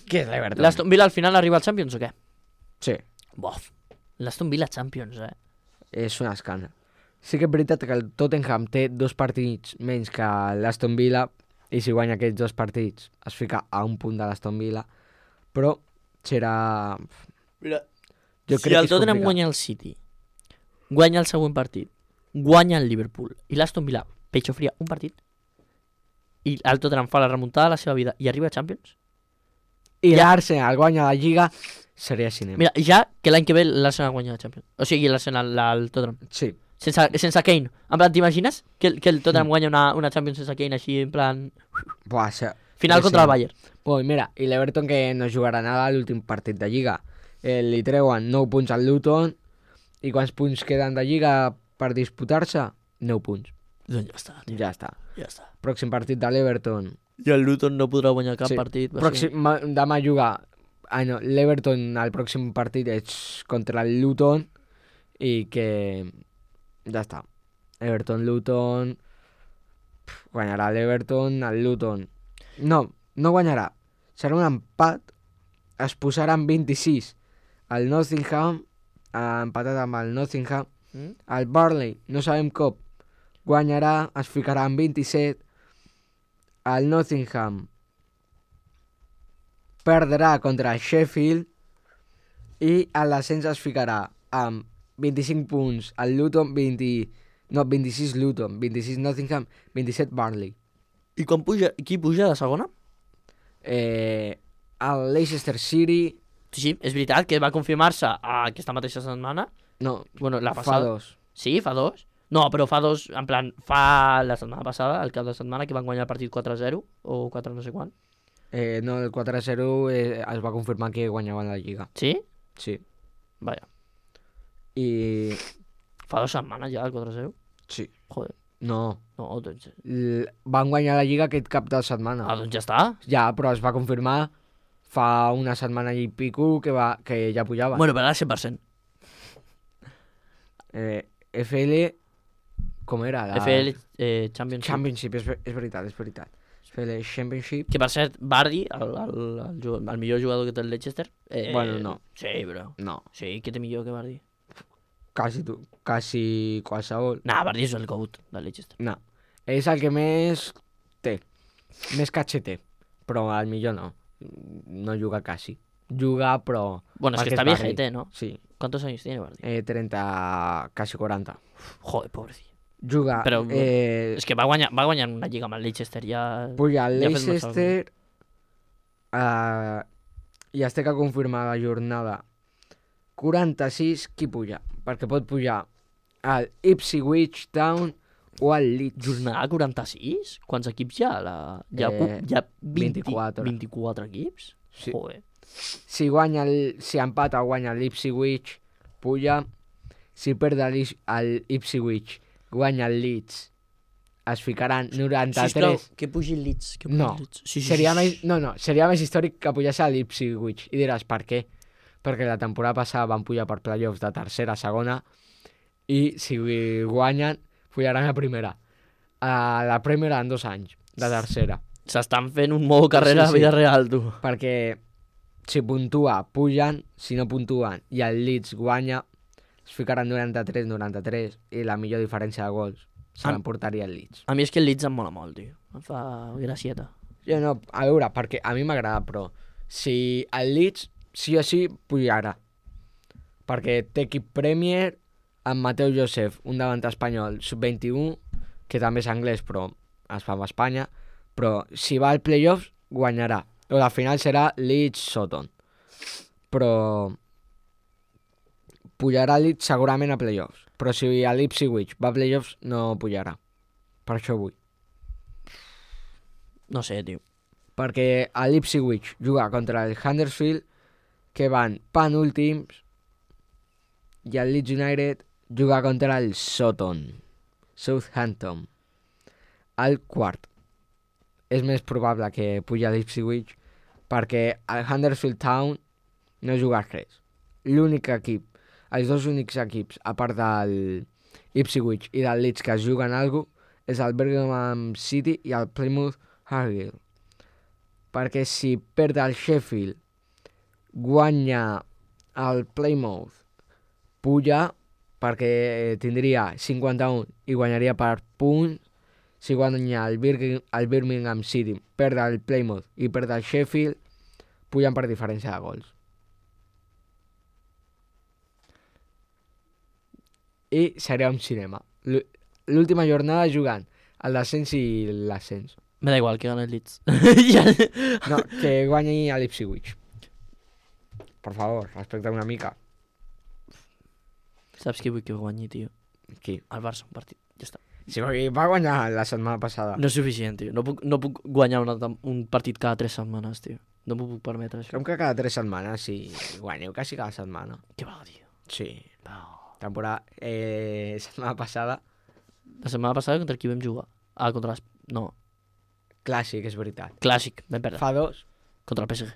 Què és l'Everton? L'Aston Villa al final arriba al Champions o què? Sí. Bof. L'Aston Villa Champions, És un escàndol. Sí que és veritat que el Tottenham té 2 partits menys que l'Aston Villa i si guanya aquests 2 partits es fica a un punt de l'Aston Villa, però serà... Mira, jo si el Tottenham guanya el City, guanya el següent partit, guanya el Liverpool i l'Aston Villa pecho fria un partit i el Tottenham fa la remuntada de la seva vida i arriba a Champions, i l'Arsenal guanya la Lliga, seria cinema. Mira, ja que l'any que ve l'Arsenal guanya la Champions, o sigui l'Arsenal, el Tottenham. Sí. Sense Kane. En plan, t'imagines que el Tottenham guanya una Champions sense Kane així, en plan... Buah, final contra el Bayern. Pues mira, i l'Everton que no jugarà nada a l'últim partit de Lliga. Li treuen 9 punts al Luton i quants punts queden de Lliga per disputar-se? 9 punts. Doncs ja està, tio. Ja està. Ja està. Pròxim partit de l'Everton. I el Luton no podrà guanyar cap partit. Demà jugar... no, l'Everton al pròxim partit és contra el Luton i que... Ja està. Everton-Luton... Guanyarà l'Everton, el Luton... No guanyarà. Serà un empat. Es posaran 26 al Nottingham, ha empatat amb el Nottingham. Mm? El Burnley, no sabem com, guanyarà, es ficarà amb 27. El Nottingham perdrà contra el Sheffield i el descens es ficarà amb 25 punts el Luton, 26 Luton, 26 Nottingham, 27 Burnley. I qui puja de segona? El Leicester City, Sí, és veritat que va confirmar-se aquesta mateixa setmana. no, Bueno, la fa passada. 2. Sí, fa 2. No, però fa 2, en plan, fa la setmana passada, el cap de setmana, que van guanyar el partit 4-0 o 4 no sé quan. No, el 4-0 es va confirmar que guanyaven la Lliga. Sí? Sí. Vaja. I... Fa 2 setmanes ja el 4-0. Sí. Joder. No. No, doncs... Van guanyar la Lliga aquest cap de setmana. doncs ja està. Ja, però es va confirmar fa una setmana i pico que ja pujaven. Bueno, però ara 100%. FL... Com era? FL Championship. Championship, és veritat. FL Championship. Que per cert, Vardy, el millor jugador que té el Leicester... Bueno, no. Sí, bro. No, Sí, què té millor que Vardy? quasi qualsevol. Nah, Vardy és el GOAT del Leicester. No. És el que més té. Més catxe té. Però el millor no. No juga quasi. Juga, però... Bueno, es que perquè está Vardy. viejete, ¿no? Sí. ¿Cuántos años tiene Vardy? 30, quasi 40. Joder, pobrecillo. Juga... Però és que va guanyar una lliga amb el Leicester, ja... Puja el ja ha fet molts Leicester i es té que confirmar la jornada 46 qui puja, perquè pot pujar al Ipswich Town o al Leeds. Jornada 46? Quants equips hi ha? Hi ha 24. 24 equips? Sí. Joder. Si empata guanya l'Ipswich, puja. Si perd el Ipswich, guanya el Leeds, es ficaran 93. Sisplau, que pugi el Leeds. Que pugi No, el Leeds. Sí, seria més històric que pujés a l'Ipswich. I diràs, per què? Perquè la temporada passada van pujar per playoffs de tercera a segona i si guanyen, pujaran a primera. A la primera en 2 anys, de tercera. S'estan fent un modo carrera Sí, a vida real, tu. Perquè si puntua, pugen, si no puntuen i el Leeds guanya, es ficaran 93-93 i la millor diferència de gols se l'emportaria el Leeds. A mi és que el Leeds em mola molt, tio. Em fa gracieta. Jo no, a veure, perquè a mi m'agrada, però si el Leeds sí o sí pujarà, perquè té equip Premier amb Mateu Joseph, un davant espanyol sub-21, que també és anglès però es fa amb Espanya, però si va al playoffs guanyarà, o la final serà Leeds-Sutton, però pujarà Leeds segurament a playoffs, però si a l'Ipswich va a playoffs no pujarà, per això vull. No sé, tio. Perquè a l'Ipswich juga contra el Huddersfield, que van penúltims, i el Leeds United juga contra el Southampton, al quart. És més probable que puja l'Ipswich perquè el Huddersfield Town no juga res. L'únic equip, els dos únics equips, a part del Ipswich i del Leeds que es juguen alguna cosa, és el Birmingham City i el Plymouth Argyle. Perquè si perd el Sheffield, guanya el Plymouth, puja perquè tindria 51 i guanyaria per punts. Si guanya el Birmingham City, perd el Plymouth i perd el Sheffield, pugen per diferència de gols. I seria un cinema. L'última jornada jugant el descens i l'ascens. Me da igual que gane el Leeds. No, que guanyi a l'Ipswich. Per favor, respecta una mica. Saps qui vull que guanyi, tio? Qui? El Barça, un partit. Ja està. Si va guanyar la setmana passada. No és suficient, tio. No puc guanyar un partit cada 3 setmanes, tio. No m'ho puc permetre, això. Com que cada 3 setmanes, si guanyeu quasi cada setmana. Què va, tio? Sí. No. Temporada... setmana passada... La setmana passada contra qui vam jugar? Contra les... No. Clàssic, és veritat. Clàssic, vam perdre. Fa 2, Contra el PSG.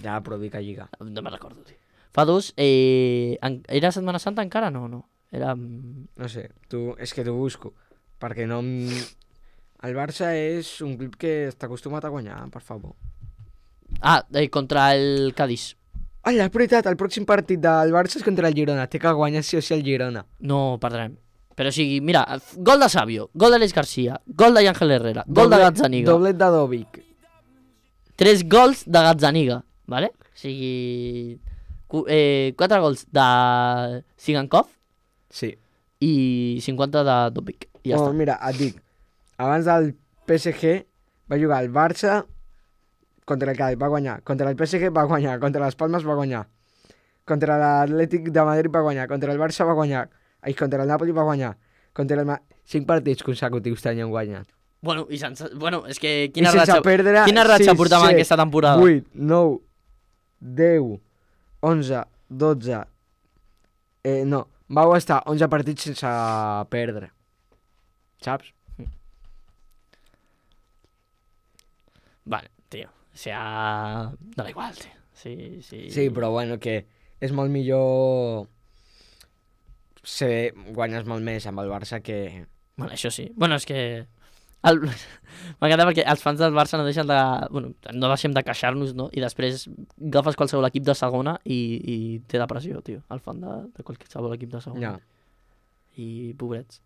ja però dic a Lliga. No me'n recordo, tio. Fa 2, era Setmana Santa encara? No. Era... No sé, és que t'ho busco. Perquè no... El Barça és un club que està acostumat a guanyar, per favor. contra el Cádiz. Ai, és veritat, el pròxim partit del Barça és contra el Girona. Té que guanyar sí o sí el Girona. No perdrem. Però o sigui, mira, gol de Savio, gol d'Àlex Garcia, gol de Ángel Herrera, gol de Gazzaniga. Doblet de Dovic. 3 gols de Gazzaniga, vale? O sigui... 4 gols de Sigankov Sí. i 50 de Dovic. I ja està. Mira, et dic, abans del PSG va jugar el Barça contra el Cádiz, va guanyar. Contra el PSG va guanyar, contra les Palmes va guanyar. Contra l'Atlètic de Madrid va guanyar, contra el Barça va guanyar. Ai, contra el Napoli va guanyar. Contra el 5 partits consecutius tenien guanyat. Bueno, i sense... Bueno, és que I sense perdre... quina ratxa portàvem aquesta temporada? 8, 9, 10, 11, 12... no, vau estar 11 partits sense perdre. Saps? Vale, tío. O sea... Da igual, tío. Sí, sí. Sí, però bueno, que és molt millor... guanyes molt més amb el Barça que... Bueno, això sí. Bueno, és que... M'encanta perquè els fans del Barça no deixen de... Bueno, no deixem de queixar-nos, no? I després agafes qualsevol equip de segona i té depressió, tio. El fan de qualsevol equip de segona. Ja. I pobrets.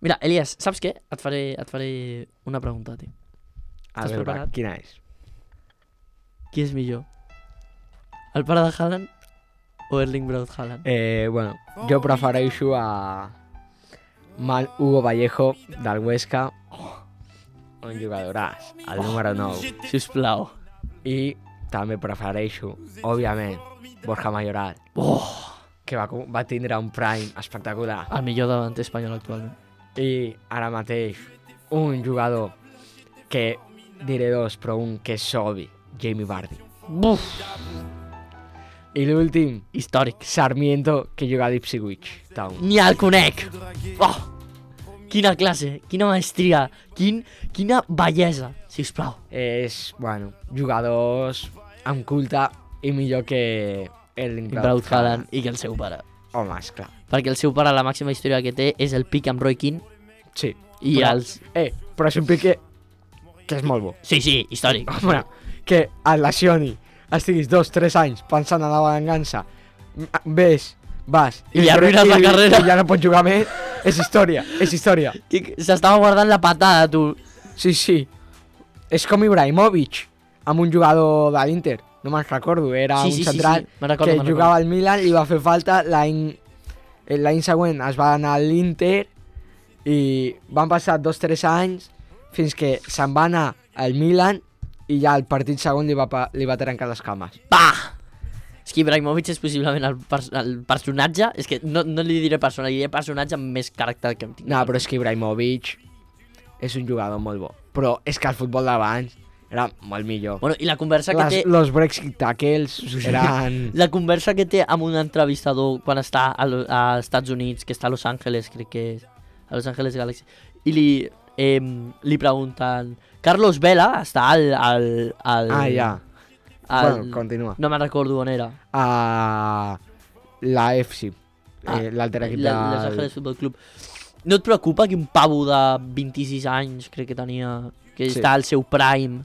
Mira, Elias, saps què? Et faré una pregunta, tio. A Estàs veure, preparat? quina és? Qui és millor? El pare de Haaland o Erling Braut Haaland? Bueno, jo prefereixo a Hugo Vallejo del Huesca, un jugadoràs, el número 9. Sisplau. I també prefereixo, òbviament, Borja Mayoral, que va tindre un prime espectacular. El millor davanter espanyol actualment. I ara mateix, un jugador que diré dos, però un que és obvi, Jamie Vardy. Buf! I l'últim, Històric. Sarmiento, que juga a l'Ipswich Town. Ni el conec! Oh! Quina classe, quina maestria, quina bellesa, sisplau. És, bueno, jugadors amb culte i millor que Erling Braut Haaland i que el seu pare. Home, esclar. Perquè el seu pare, la màxima història que té és el pic amb Roy Keane Sí. i Però- els... Però és un pic que és molt bo. Sí, sí, històric. Home, que et lesioni, estiguis 2-3 anys pensant en la vengança, vas... I li arruïnes la carrera. I ja no pots jugar més, és història, és història. S'estava guardant la patada, tu. Sí, sí. És com Ibrahimovic, amb un jugador de l'Inter, no me'n recordo, era Sí, un sí, sí, central sí. Me'n recordo, que me'n jugava al Milan, li va fer falta, l'any següent es va anar a l'Inter i van passar 2-3 anys fins que se'n va anar al Milan i ja el partit segon li va trencar les cames. Pa! És que Ibrahimovic és possiblement el personatge, és que no li diré persona, li diré personatge amb més caràcter que em tinc. No, però és que Ibrahimovic és un jugador molt bo. Però és que el futbol d'abans era molt millor. Bueno, i la conversa que té... Los Brexit tackles eren... La conversa que té amb un entrevistador quan està als Estats Units, que està a Los Angeles, crec que és, a Los Angeles Galaxy, i li pregunten Carlos Vela està al ja. Bueno, continua. No me'n recordo on era. A la FC, l'altre equip Los Angeles Football Club. No et preocupa que un pavo de 26 anys, crec que tenia, que Sí. està al seu prime,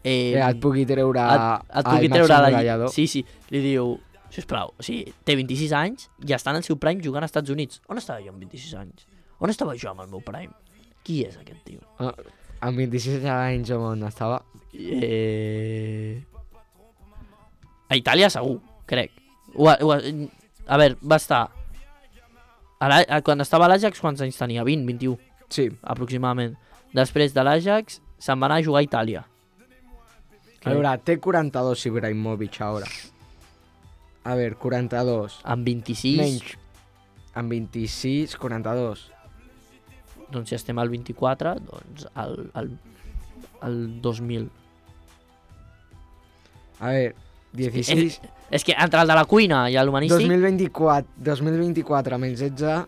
et pugui treure et pugui treure Sí, sí, li diu, sisplau, o sigui, té 26 anys i està en el seu prime jugant als Estats Units. On estava jo amb 26 anys? On estava jo amb el meu prime? Qui és aquest tio? Amb 26 anys on estava. A Itàlia segur, crec. A veure, va estar... Quan estava a l'Ajax, quants anys tenia? 20, 21, Sí. aproximadament. Després de l'Ajax, se'n va anar a jugar a Itàlia. A veure, té 42 Ibrahimovic ara. A veure, 42. Amb 26, Menys. Amb 26, 42. doncs si estem al 24, doncs al 2000. A veure, 16... És que entre el de la cuina i l'humanístic... 2024 menys 16...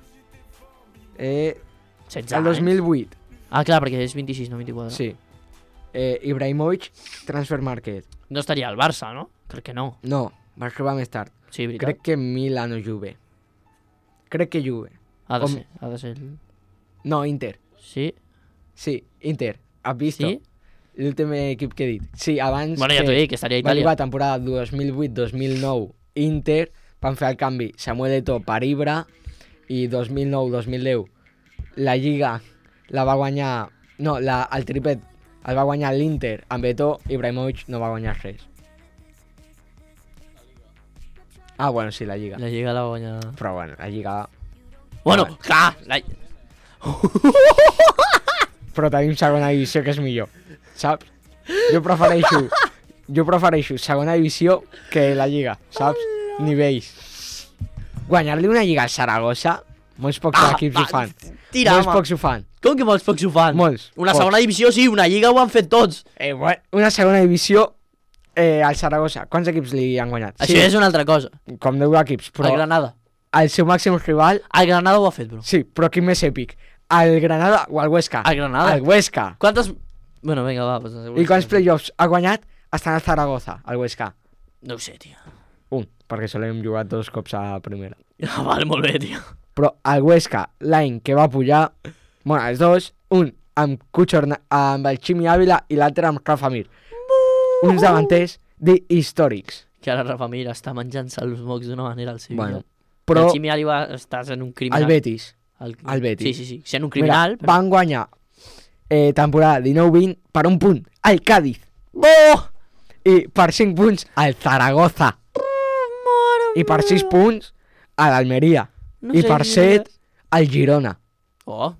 16 el 2008. Ah, clar, perquè és 26, no 24. Sí. Ibrahimovic, Transfer Market. No estaria al Barça, no? Crec que no. No, va arribar més tard. Sí, veritat. Crec que Milan o Juve. Crec que Juve. Ha de com- ser. No, Inter. Sí? Sí, Inter. Has visto? Sí? l'últim equip que he dit. Sí, abans Bueno, ja t'ho dic, que estaria a va Itàlia. jugar temporada 2008-2009 Inter, van fer el canvi Samuel Eto'o per Ibra i 2009-2010 la Lliga la va guanyar... No, el triplet el va guanyar l'Inter amb Eto'o, Ibrahimovic no va guanyar res. Ah, bueno, sí, la Lliga. La Lliga la va guanyar... Però bueno, la Lliga... Bueno, clar! Però tenim segona divisió, que és millor, saps? Jo prefereixo segona divisió que la Lliga, saps? Nivells. Guanyar-li una Lliga al Saragossa, molts pocs equips ho fan. Tira, Molts home. pocs ho fan. Com que molts pocs ho fan? Molts. Una pocs. segona divisió sí, una Lliga ho han fet tots. Bueno, una segona divisió al Saragossa. Quants equips li han guanyat? Això és una altra cosa. Com 10 equips, però El Granada. el seu màxim rival... El Granada ho ha fet, bro. Sí, però quin més èpic? El Granada o el Huesca? El Granada. El Huesca. Quantes... Bueno, vinga, va. Pues, I quants playoffs ha guanyat? Estan al Zaragoza, el Huesca. No ho sé, tio. Un, perquè solem jugar 2 cops a primera. Vale, molt bé, tio. Però el Huesca, l'any que va pujar, bueno, els dos, un amb amb el Ximi Ávila i l'altre amb Rafa Mir. Uns davanters històrics. Que ara Rafa Mir està menjant-se els mocs d'una manera al Sevilla. Bueno, però El Ximi Ávila estàs en un criminal. el Betis, El Betis. Sí. Sent un criminal. mira, van guanyar temporada 19-20 per un punt al Cádiz. I per 5 punts al Zaragoza. I per 6 punts a l'Almeria. No I sé per qui 7 al Girona. Oh,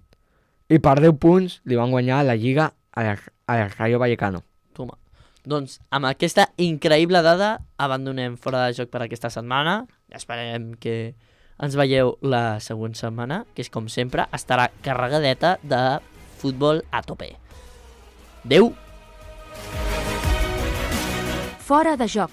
I per 10 punts li van guanyar la Lliga al Rayo Vallecano. toma. Doncs amb aquesta increïble dada abandonem Fora de Joc per aquesta setmana. Esperem que ens veieu la següent setmana, que és com sempre, estarà carregadeta de futbol a tope. Adeu! Fora de joc.